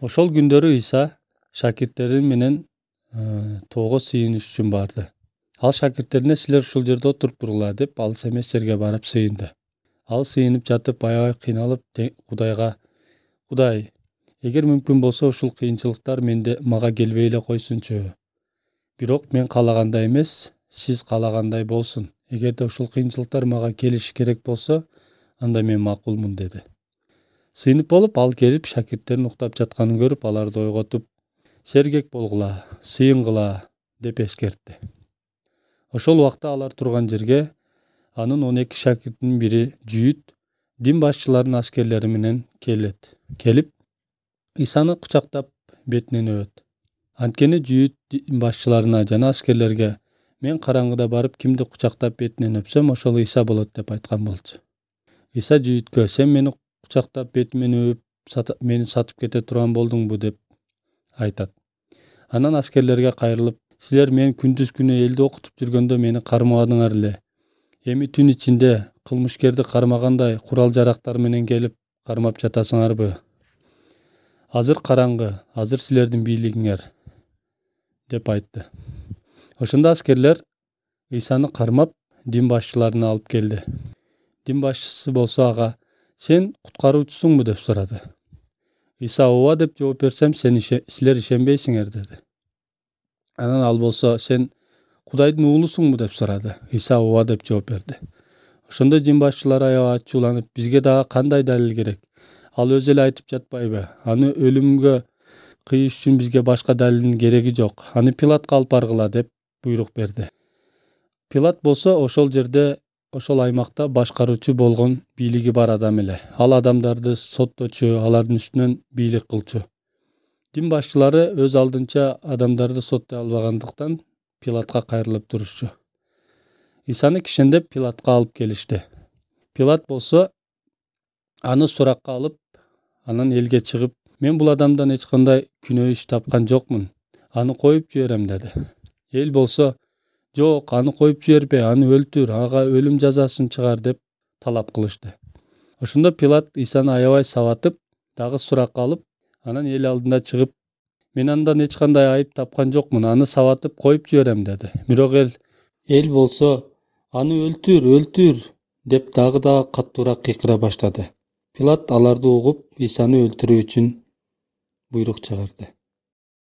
Ошол күндөрү Иса шакирттери менен тоого сыйыныш үчүн барды. Ал шакирттерине силер ушул жерде отуруп тургула деп алыс эмес жерге барып сыйынды. Ал сыйынып жатып аябай кыйналып Кудайга: Кудай, эгер мүмкүн болсо ушул кыйынчылыктар мага келбей эле койсунчу. Бирок мен каалагандай эмес, сиз каалагандай болсун. Эгерде ушул кыйынчылыктар мага келиши керек болсо, анда мен макулмун деди. Сыйынып болуп ал келип шакирттерин уктап жатканын көрүп, аларды ойготуп: Сергек болгула, сыйынгыла деп эскертти. Ошол убакта алар турган жерге анын 12 шакиртинин бири Жүйүт дин башчыларынын аскерлери менен келет. Келип Исаны кучактап бетинен өбөт. Анткени Жүйүт дин башчыларына жана аскерлерге: мен караңгыда барып кимди кучактап бетинен өпсөм, ошол Иса болот деп айткан болчу. Иса Жүйүткө: сен мени кучактап бетимен өбүп мени сатып кете турган болдуңбу деп айтат. Анан аскерлерге кайрылып: силер мен күндүз күнү элди окутуп жүргөндө мени кармабадыңар эле. Эми түн ичинде кылмышкерди кармагандай курал-жарактар менен келип кармап жатасыңарбы? Азыр караңгы, азыр силердин бийлигиңер деп айтты. Ошондо аскерлер Исаны кармап дин башчыларына алып келди. Дин башчысы болсо ага: сен куткаруучусуңбу деп сурады. Иса: ооба деп жооп берсем, силер ишенбейсиңер деди. Анан ал болсо: сен Кудайдын уулусуңбу деп сурады. Иса ооба деп жооп берди. Ошондо дин башчылары аябай ачууланып: бизге дагы кандай далил керек? Ал өзү эле айтып жатпайбы? Аны өлүмгө кыйыш үчүн бизге башка далилдин кереги жок. Аны Пилатка алып баргыла деп буйрук берди. Пилат болсо ошол жерде, ошол аймакта башкаруучу болгон бийлиги бар адам эле. Ал адамдарды сотточу, алардын үстүнөн бийлик кылчу. Дин башчылары өз алдынча адамдарды соттой албагандыктан Пилатка кайрылып турушчу. Исаны кишендеп Пилатка алып келишти. Пилат болсо аны суракка алып, анан элге чыгып: мен бул адамдан эч кандай күнөө иш тапкан жокмун. Аны коюп жиберем деди. Эл болсо: жок, аны коюп жибербе, аны өлтүр, ага өлүм жазасын чыгар деп талап кылышты. Ошондо Пилат Исаны аябай сабатып, дагы суракка алып, анан эл алдына чыгып: мен андан эч кандай айып тапкан жокмун, аны сабатып коюп жиберем деди. Бирок эл болсо: аны өлтүр, өлтүр деп дагы каттуураак кыйкыра баштады. Пилат аларды угуп, Исаны өлтүрүү үчүн буйрук чыгарды.